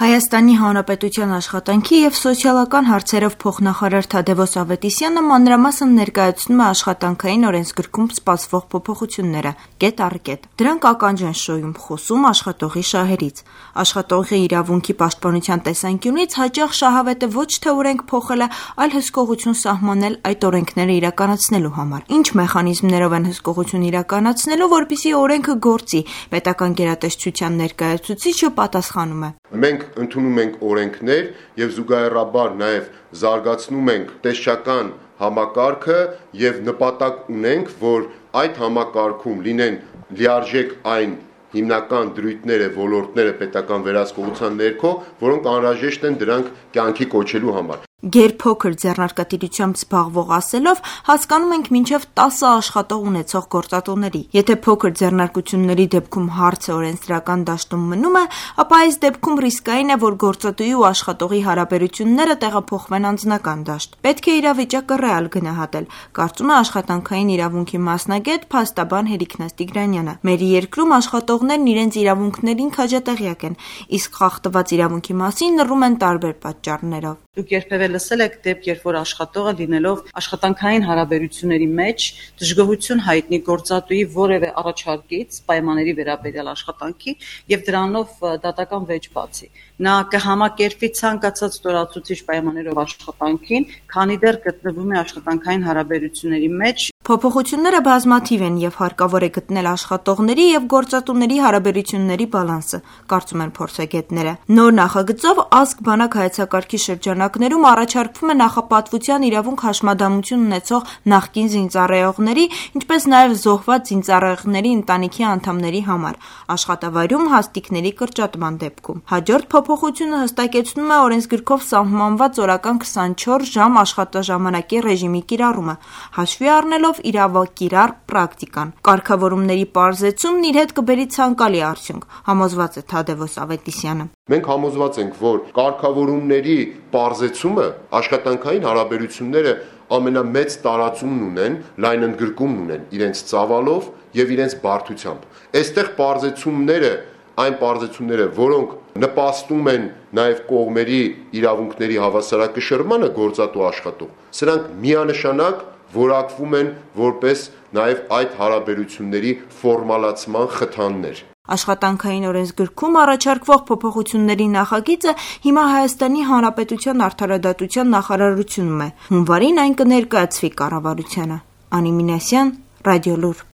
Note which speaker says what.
Speaker 1: Հայաստանի Հանրապետության աշխատանքի և սոցիալական հարցերով փոխնախարար Թադևոս Ավետիսյանը մանրամասն ներկայացնում է աշխատանքային օրենսգրքում սպասվող փոփոխությունները՝ կետ առ կետ։ Դրանք ականջ են շոյում խոսում աշխատողի շահերից։ Աշխատողի իրավունքի պաշտպանության տեսանկյունից հաճախ շահավետ է ոչ թե օրենք փոխելը, այլ հսկողություն սահմանել այդ օրենքները իրականացնելու համար։ Ինչ մեխանիզմներով են հսկողություն իրականացնելու, որպեսզի օրենքը գործի, պետական գերատեսչության ներկայացուցիչը պատասխանում է։
Speaker 2: Մենք ընդունում ենք օրենքներ եւ զուգահեռաբար նաեւ զարգացնում ենք տեսչական համակարգը եւ նպատակ ունենք, որ այդ համակարգում լինեն լիարժեք այն հիմնական դրույթները, ոլորտները պետական վերահսկողության ներքո, որոնք անհրաժեշտ են դրանք կյանքի կոչելու համար։
Speaker 1: Գերփոքր ձեռնարկատիրությամբ զբաղվող ասելով հասկանում ենք մինչև 10 աշխատող ունեցող գործատուների։ Եթե փոքր ձեռնարկությունների դեպքում հարցը օրենսդրական դաշտում մնում է, ապա այս դեպքում ռիսկային է, որ գործատուի ու աշխատողի հարաբերությունները տեղափոխվեն անձնական դաշտ։ Պետք է իրավիճակը ռեալ գնահատել, կարծում է աշխատանքային իրավունքի մասնագետ փաստաբան Հերիքնաս Տիգրանյանը։ Մեր երկրում աշխատողներն իրենց իրավունքներին քաջատեղյակ են, իսկ խախտված իրավունքի մասին լռում են տարբեր պատճառներով։
Speaker 3: Դուք երբևէ լսել եք դեպք, երբ որ աշխատողը լինելով աշխատանքային հարաբերությունների մեջ դժգոհություն հայտնի գործատուի որևէ առաջարկից պայմանների վերաբերյալ աշխատանքի եւ դրանով դատական վեճ բացի։ Նա կհամակերպվի ցանկացած ստորացուցիչ պայմաններով աշխատանքին, քանի դեռ գտնվում է աշխատանքային հարաբերությունների մեջ։
Speaker 1: Փոփոխությունները բազմաթիվ են եւ հարկավոր է գտնել աշխատողների եւ գործատուների հարաբերությունների բալանսը, կարծում են փորձագետները։ Նոր նախագծով ազգ բանակ հայեցակարգի շրջանակներում առաջարկվում է նախապատվության իրավունք հաշմանդամություն ունեցող նախկին զինծառայողների, ինչպես նաեւ զոհված զինծառայողների ընտանիքի անդամների համար աշխատավայրում հաստիկների կրճատման դեպքում։ Հաջորդ փոփոխությունը հստակեցնում է օրենսգրքով սահմանված օրական 24 ժամ աշխատաժամանակի ռեժիմի կիրառումը, հաշվի առնելով իրավակիրառ պրակտիկան։ Կարգավորումների պարզեցումն իր հետ կբերի ցանկալի արդյունք, համոզված է Թադևոս Ավետիսյանը։
Speaker 2: Մենք համոզված ենք, որ կարգավորումների պարզեցումը աշխատանքային հարաբերությունները ամենամեծ տարածումն ունեն, լայն ընդգրկումն ունեն իրենց ծավալով եւ իրենց բարդությամբ։ Այստեղ պարզեցումները այն պարզեցումները, որոնք նպաստում են նաև կողմերի իրավունքների հավասարակշռմանը գործատու աշխատող, սրանք միանշանակ որակվում են որպես նաև այդ հարաբերությունների ֆորմալացման խթաններ։
Speaker 1: Աշխատանքային օրենսգրքում առաջարկվող փոփոխությունների նախագիծը հիմա Հայաստանի Հանրապետության Արդարադատության նախարարությունում է։ Հունվարին այն կներկայացվի կառավարությանը։ Անի Մինասյան, Ռադիոլուր։